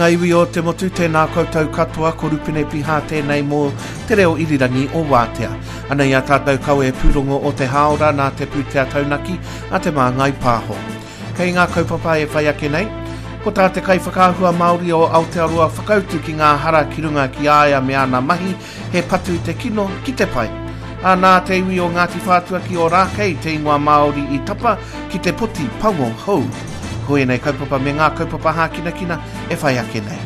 ngā iwi o te motu, tēnā koutou katoa, ko Rupene Piha tēnei mō te reo irirangi o Wātea. Anei a tātou kawe pūrongo o te hāora nā te pūtea taunaki a Te Māngai Pāho. Kei ngā kaupapa e whai ake nei, ko tā te kaiwhakaahua Māori o Aotearoa whakautu ki ngā hara ki runga ki a ia me ana mahi, he patu te kino ki te pai. Ā, nā te iwi o Ngāti Whātua ki Ōrākei te ingoa Māori i tapa ki te poti pango hou. Ko ēnei kaupapa me ngā kaupapa hākinakina e whai ake nei.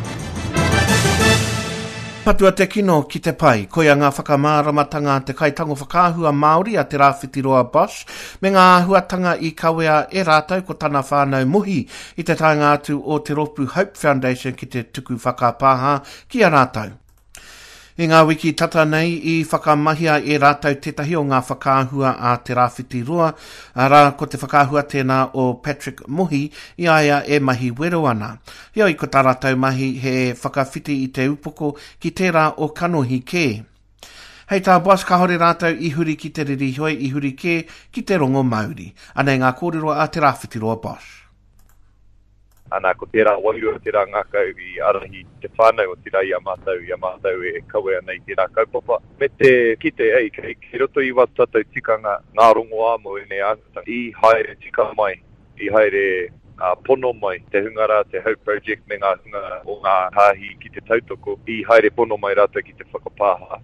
Patua te kino ki te pai, koia ngā whakamāramatanga a te kaitango whakaahua Māori a Te Rāwhitiroa Bosch me ngā āhuatanga i kawea e rātou ko tana whānau Mohi i te taenga atu o te rōpū Hope Foundation ki te tuku whakapāha ki a rātou. I ngā wiki tata nei i whakamahia e rātou tētahi o ngā whakaahua a Te Rāwhitiroa, arā, ko te whakaahua tēnā o Patrick Mohi i a ia e mahi wero ana. Heoi, ko tā rātou mahi he whakawhiti i te upoko ki tērā o kanohi kē. Hei tā Bosch kāore rātou i huri ki te riri heoi i huri kē ki te rongo mauri. Anei ngā kōrero a Te Rāwhitiroa Bosch. Ana, ko tērā wairua, tērā ngākau i ārahi te whānau, otirā i a mātou, i a mātou e kawe ana i tērā kaupapa. Me te kite, ei, kei, kei roto i wā tātou tikanga ngā rongoā mō ēnei āhuatanga. I haere tika mai, i haere pono mai te hunga rā, te Hope Project me ngā hunga o ngā hāhi ki te tautoko, i haere pono mai rātou ki te whakapāha.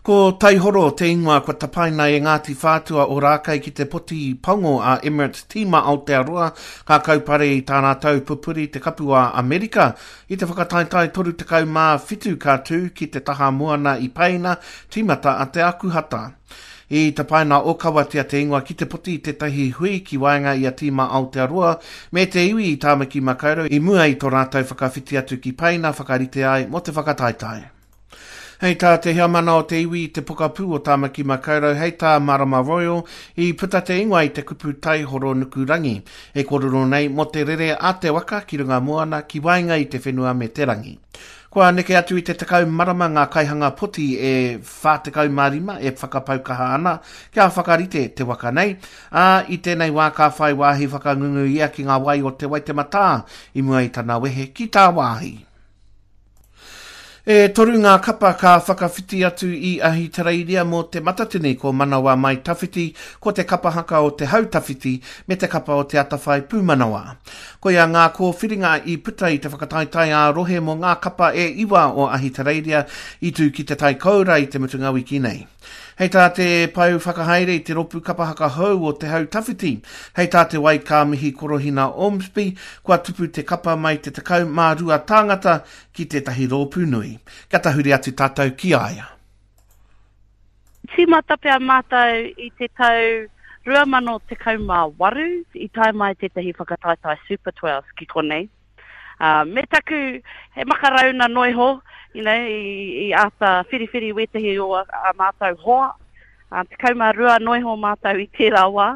Ko Taihoro te ingoa kua tapaina e Ngāti Whātua Ōrākei ki te poti pango a Emirates Tīma Aotearoa ka kaupare i tā rātou pupuri te Kapu a Amerika i te whakataetae 37 ka tū ki te taha moana i Peina, tīmata a te Akuhata. I tapaina ōkawatia te ingoa ki te poti i tētahi hui ki waenga i a Tīma Aotearoa me te iwi i Tāmaki Makaurau i mua i tō rātou whakawhiti atu ki Peina whakarite ai mō te whakataetae. Hei tā te heamana o te iwi i te pokapū o Tāmaki Makaurau, hei tā Marama Royal, i puta te ingoa i te kupu taihoro nukurangi, e kōrero nei mō te rere a te waka ki runga moana ki waenga i te whenua me te rangi. Kua neke atu i te 10 marama ngā kaihanga poti e 45 e whakapau kaha ana kia whakarite te waka nei, ā, i tēnei wā ka whai wāhi whakangungu ia ki ngā wai o Te Waitematā i mua i tana wehe ki tāwāhi. E toru ngā kapa ka whakawhiti atu i Ahitereiria mō Te Matatini, ko Manawa Mai Tawhiti, ko Te Kapa Haka o Te Hau Tawhiti, me Te Kapa o Te Atawhai Pūmanawa. Koia ngā kōwhiringa i puta i te whakataetae ā-rohe mō ngā kapa e iwa o Ahitereiria i tū ki Te Tai Koura i te mutunga wiki nei. Hei tā te pou whakahaere i te ropu kapa haka hou o Te Hau Tawhiti, hei tā Te Waikāmihi Korohina Ormsby, kua tupu te kapa mai te 12 tāngata ki tētahi rōpū nui. Kia tahuri atu tātou ki a ia. Tīmata pea mātou i te tau 2018, i tae mai tētahi whakataetae Super Twelves ki konei. Uh, me taku, he makarauna noiho, you know, i, i āta whiriwhiri wētehi o a, a mātou hoa. Uh, 12 noiho mātou i tērā wā.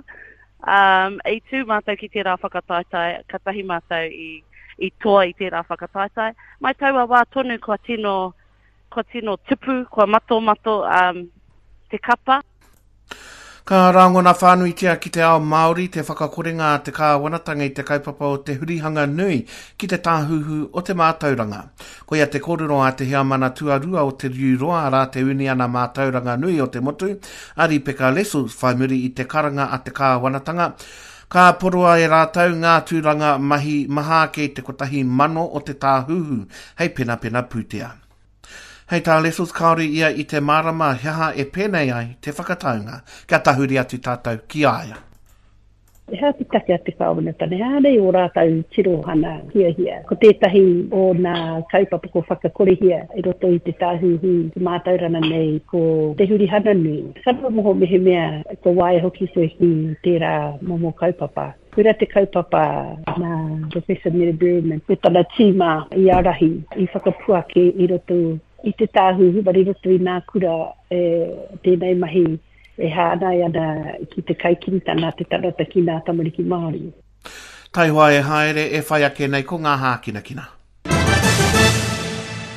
Um, i tū mātou ki tērā whakataetae, katahi mātou i, i toa i tērā whakataetae. Mai taua wā tonu kua tino, kua tino tupu, kua matomato um, te kapa. Ka rangona whānuitia ki te ao Māori te whakakorenga a te kāwanatanga i te kaupapa o te hurihanga nui ki te tāhuhu o te mātauranga. Koia te kōrero a te heamana tuarua o Te Riu Roa, arā te Uniana Mātauranga Nui o te Motu, a Ripeka Lessels, whai muri i te karanga a te kāwanatanga, ka poroa e rātou ngā tūranga mahi maha ake i te 1,000 o te tāhuhu hei penapena pūtea. Hei tā Lessels kāore ia i te mārama he aha e pēnei ai te whakataunga. Kia tahuri atu tātou ki a ia. He aha te take a te Kāwanatanga? He aha nei ō rātou tirohanga hiahia? Ko tētahi o nā kaupapa ko whakakorehia i roto i te tāhuhu mātauranga nei ko te hurihana nui. Ka noho mehemea kua waia hoki koe ki tērā momo kaupapa. Koirā te kaupapa nā Professor Mere Berryman me tana tīma i ārahi, i whakapuaki i roto i te Tāhuhu, but i roto i nā kura e, tēnei mahi e hāngai ana ki te kaikiritanga a te tangata ki nā tamariki Māori. Taihoa e haere, e whai ake nei ko ngā hākinakina.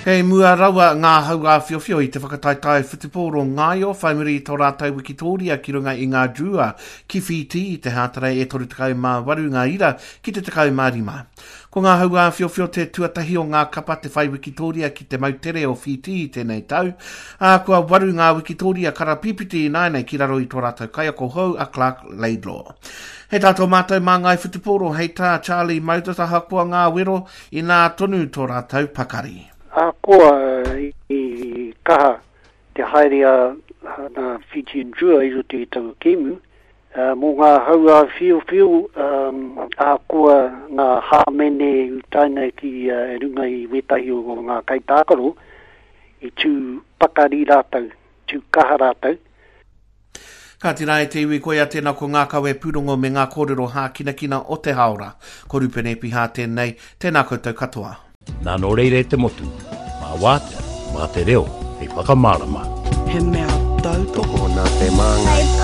Kei mua rawa ngā hau āwhiowhio i te whakataetae whutupōro ngaio whai muri i tō rātou wikitōria ki runga i ngā Drua ki Whītī i te Hātarei e 38 ngā ira ki te 15. Ko ngā hau āwhiowhio te tuatahi o ngā kapa te whai wikitōria ki te moutere o Whītī i tēnei tau, ā, kua waru ngā wikitōria karapīpiti ināianei ki raro i tō rātou kaiako hou a Clark Laidlaw. Hei tā tō mātou māngai whutupōro, hei tā Charlie Moses ahakoa ngā wero, Inā tonu tō rātou pakari. Ahakoa i kaha te haere a ngā Fijian Drua i roto i taua kēmu, mō ngā hau āwhiowhio, ahakoa ngā hāmene i utaina ki runga i wētahi o ngā kaitākaro, i tū pakari rātou, tū kaha rātou. Kāti rā e te iwi, koia tēnā ko ngā kawe pūrongo me ngā kōrero hākinakina o te hāora. Ko Rupene Epiha tēnei, tēnā koutou katoa. Nā nō reira e te motu, mā wātea, mā te reo hei whakamārama. He mea tautoko. Tokona te māngai.